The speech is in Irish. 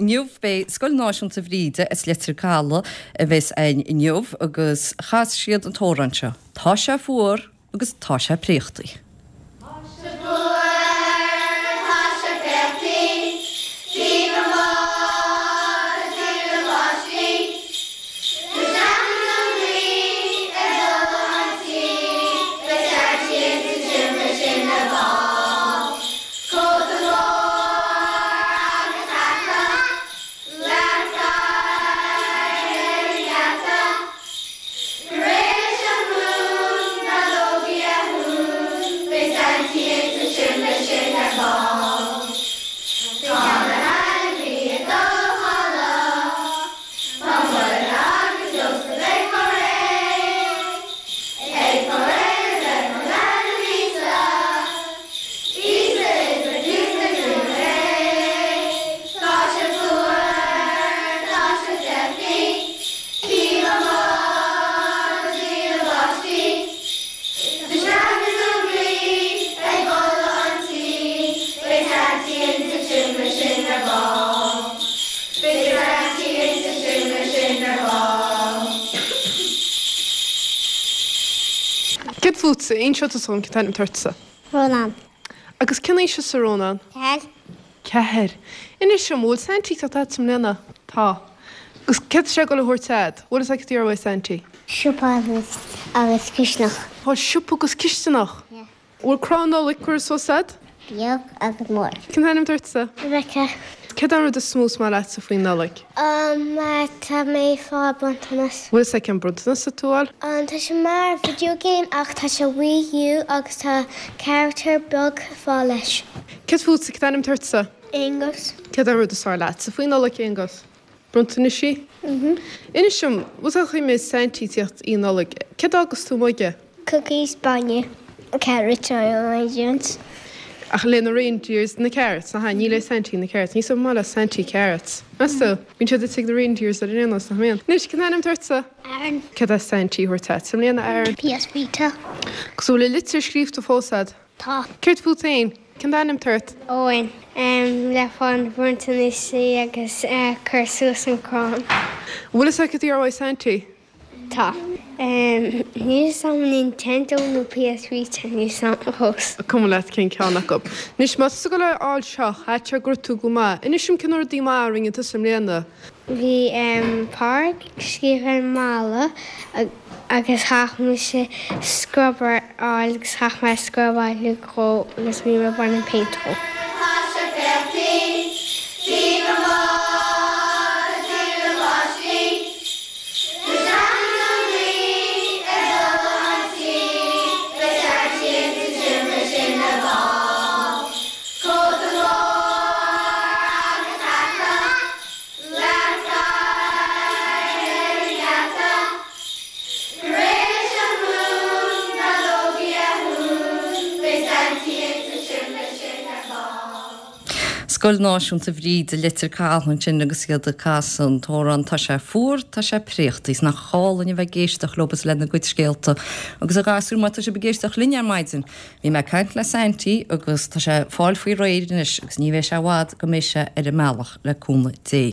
inniu beidh Scoil Náisiúnta Bhríde as Leitir Caladh a bheas againn inniu agus chas siad an t-amhrán seo. Tá sé fuar agus tá sé préachtaí. Tá sé fuar, tá sé préachtaí, Viva Máire is na páistí. Go seanfaidh an ghaoth ar dul an tí, Beidh Saintí insa tseomra sin ar ball. Cóta mór agus hata, Leath ar an ngeata. Go réidh leis an rún, na feadógaí a dhún, Beidh Saintí insa seomra sin ar ball. Tá na hainmhithe ag dul a chodladh, Tá Muire agus Iósaf ag fáil réidh, Ag fáil réidh le bheith mar leanbh Íosa, Íosa is a Chluasa dúinn é. Tá sé fuar, tá sé préachtaí. Píoba mór is míle báistí. Do sheachain an ghaoth ag boladh an tí. Beidh Saintí insa tseomra sin ar ball. Beidh Saintí insa tseomra sin ar ball. Céard fútsa? Inseoidh tusa dhom cén t-ainm atá ortsa. Rónán. Agus cén aois thusa, Rónán? 4. 4. Inis dom, bhfuil Saintí ag teacht a'dsa i mbliana? Tá. Agus céard tá sé ag dul a thabhairt a'd? Bhfuil fhios a'd céard a iarrfaidh Saintí? Siopa agus agus cisteanach. Tá siopa agus cisteanach? Yeah. Bhfuil crann Nollag curtha suas a'd? Beag agus mór. Cén t-ainm atá ortsa? Rebecca. Céard é an rud is mó is maith leatsa faoin Nollaig? Mar tá mé ag fáil bronntanas. Bhfuil fhios a'd cén bronntanas atá tú a fháil? Tá sé mar video game ach tá sé Wii U agus tá character beag ag fáil leis. Céard fútsa, cén t-ainm atá ortsa? Aonghus. Céard é an rud is fearr leatsa faoin Nollaig, Aonghus? Bronntanaisí? Mhm. Inis dom, bhfuil fhios a'd chím Saintí ag tíocht Oíche Nollag, céard a fhágas tú amuigh aige? Cookies, bainne, carrots, onions. Ach le na reindeers na carrots, nach ea? Ní le Saintí na carrots. Ní maith le Saintí carrots. Meas tú? Bíonn siad ite ag na reindeers ar aon nós, nach mbíonn? Anois, cén t-ainm atá ortsa? Aaron. Céard é Saintí a thabhairt a'd i mbliana, Aaron? PS Vita. Agus an bhfuil an litir scríobhta fós a'd? Tá. Céard fút féin? Cén t-ainm atá ort? Eoin. Le fáil bronntanaisí agus cur suas an crann. An bhfuil fhios a'd céard a iarrfaidh Saintí? Tá. Níl fhios a'm Nintendo nó PS Vita, níl fhios a'm fós. Cuma leat cén ceann acu. Anois, má tá tú ag dul a fháil seo, caithfidh sé go raibh tú go maith. Inis dom cé na rudaí maithe a rinne tusa i mbliana. Bhí Pádraig scríofa ar an mballa agus chaith mise scrubber a fháil agus chaith mé scrubáil dhó agus bhí mé ag baint an péint dhó. Tá sé préachtaí, Viva Máire is na páistí. Go seanfaidh an ghaoth ar dul an tí, Beidh Saintí insa tseomra sin ar ball. Cóta mór agus hata, Leath ar an ngeata. Go réidh leis an rún, na feadógaí a dhún, Beidh Saintí insa tseomra sin ar ball. Scoil Náisiúnta Bhríde, Leitir Caladh ansin agus iad ag casadh an t-amhrán Tá sé fuar, tá sé préachtaí. Is nach álainn a bheith ag éisteacht leo agus lena gcuid scéalta. Agus a ghasúir, má tá sibh ag éisteacht linn ar maidin, bhí mé ag caint le Saintí agus tá sé ag fáil faoi réir anois agus ní bheidh sé i bhfad go mbeidh sé ar an mbealach le cúnamh Dé.